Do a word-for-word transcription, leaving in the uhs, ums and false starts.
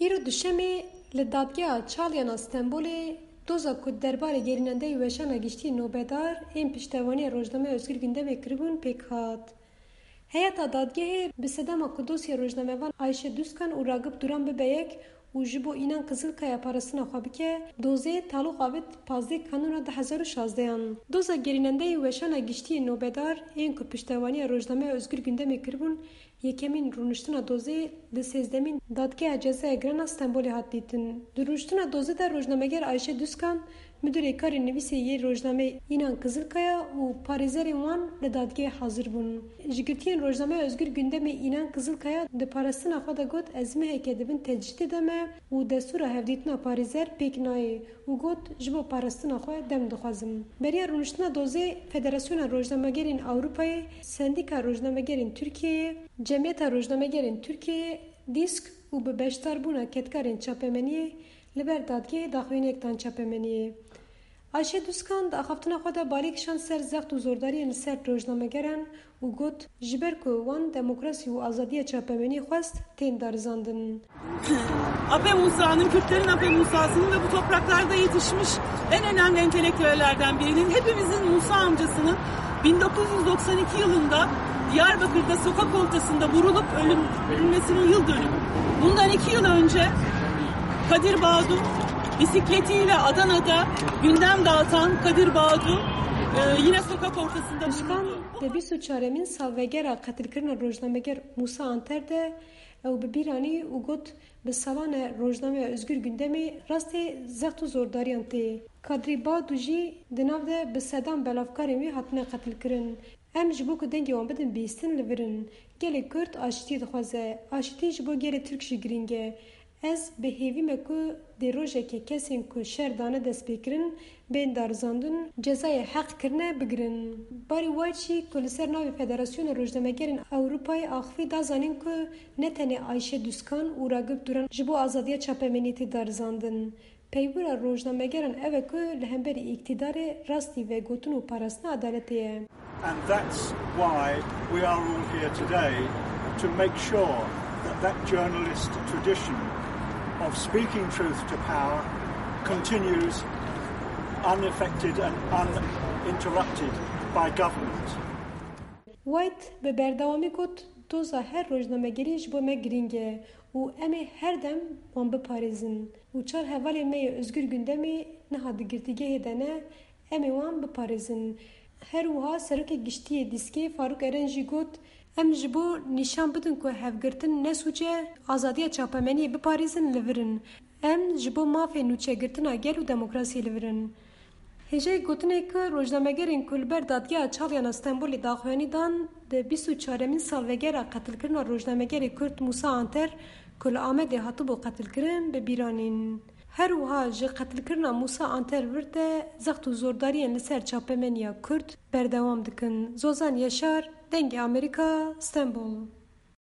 Îro duşemê li Dadgeha Çalyan a Stenbolê doza ku derbarê gerînendeyê weşana giştî nobedar ên piştevaniya rojnameya Özgür Gündemê kiribûn pêk hat. Heyeta dadgehê bi sedema ku dosya rojnamevan Ayşe Duskan û Ragip Duran bibe yek û ji bo Înan Kizilkaya parastina xwe bike, dozê taloq avêt pazdeh Kanûna du hezar û şazdehan. Doza gerînendeyê weşana giştî yê nobedar ên ku piştevaniya rojnameya Özgür Gündemê kiribûn, yekemîn rûniştina dozê li sêzdemîn Dadgeha Cezaya Giran a Stenbolê hat dîtin. Di rûniştina dozê de rojnameger Ayşe Duskan, Müdürê karê nivîsê yê rojnameyê Înan Kizilkaya û parêzerên wan li dadgehê hazir bûn. Ji girtiyên rojnameya Özgür Gündemê Înan Kizilkaya di parastina xwe de got, ez meheke di bin tecrîdê de me û destûra hevdîtina parêzer pêk nayê û got, ji bo parastina xwe dem dixwazim. Beriya rûniştina dozê Federasyona Rojnamegerên Ewropayê, Sendîka Rojnamegerên Tirkiyeyê, Cemiyeta Rojnamegerên Tirkiyeyê, DÎSK û bi beşdarbûna kedkarên çapemeniyê li ber dadgehê daxuyaniyek dan çapemeniyê. Ayşe Duskan di axaftina xwe de balê kişand ser zext û zordariyên li ser rojnamegeran û got, ji ber ku wan demokrasî û azadiya çapemeniyê xwest, tên darizandin. Ape Musa'nın, Kürtlerin Ape Musa'sının ve bu topraklarda yetişmiş en önemli entelektüellerden birinin, hepimizin Musa amcasının bin dokuz yüz doksan iki yılında Diyarbakır'da sokak ortasında vurulup ölüm, ölmesinin yıl dönümü. Bundan iki yıl önce Kadir Bağdu bisikletiyle Adana'da gündem dağıtan Kadir Bağdu, e, yine sokak ortasında vuruldu. Duskan di bîst û çaremîn salvegera qetilkirina rojnameger Musa Anter de ew bi bîr anî û got, bi salan e rojnameya Özgür Gündemê rastê zext û zordariyan tê. Kadrî Bağdu jî di nav de bi sedan belavkarên wî hatine qetilkirin. Em ji bo ku dengê wan bidin bihîstin li vir in. Gelê Kurd aşitî dixwaze. Aşitî ji bo gelê Tirk jî girîng e. Ez bi hêvî me ku dê rojekê kesên ku şer dane destpêkirin, bên darizandin, cezayê heq kirine bigirin. Barry White jî ku li ser navê Federasyona Rojnamegerên Ewropayê axivî, da zanîn ku ne tenê Ayşe Duskan û Ragip Duran ji bo azadiya çapemeniyê tê darizandin. Peywira rojnamegeran ew e ku li hemberî îktidarê rastî vegotin û parastina edaletê ye. And that's why we are all here today, to make sure that that journalist tradition of speaking truth to power continues unaffected and uninterrupted by government. White bi berdewamî got, doza her rojnamegerî ji bo me girîng e û em ê her dem wan biparêzin û çar hevalên me yê Özgür Gündemê niha di girtîgehê de ne, em ê wan biparêzin. Her wiha Serokê Giştî yê DÎSKê Faruk Eren jî got, em ji bo nîşan bidin ku hevgirtin ne sûc e, azadiya çapemeniyê biparêzin, li vir in. Em ji bo mafê nûçegirtina gel û demokrasiyê li vir in. Hêjayî gotinê ku rojnamegerên ku li ber Dadgeha Çalyan a Stenbolê daxuyanî dan, di bîst û çaremîn salvegera qetilkirina rojnamegerê Kurd Musa Anter ku li Amedê hatibû qetilkirin, bi bîr anîn. Her wiha ji qetilkirina Musa Anter vir de zext û zordariyên li ser çapemeniya Kurd berdewam dikin. Zozan Yaşar, Dengê Amerîka, Stenbol.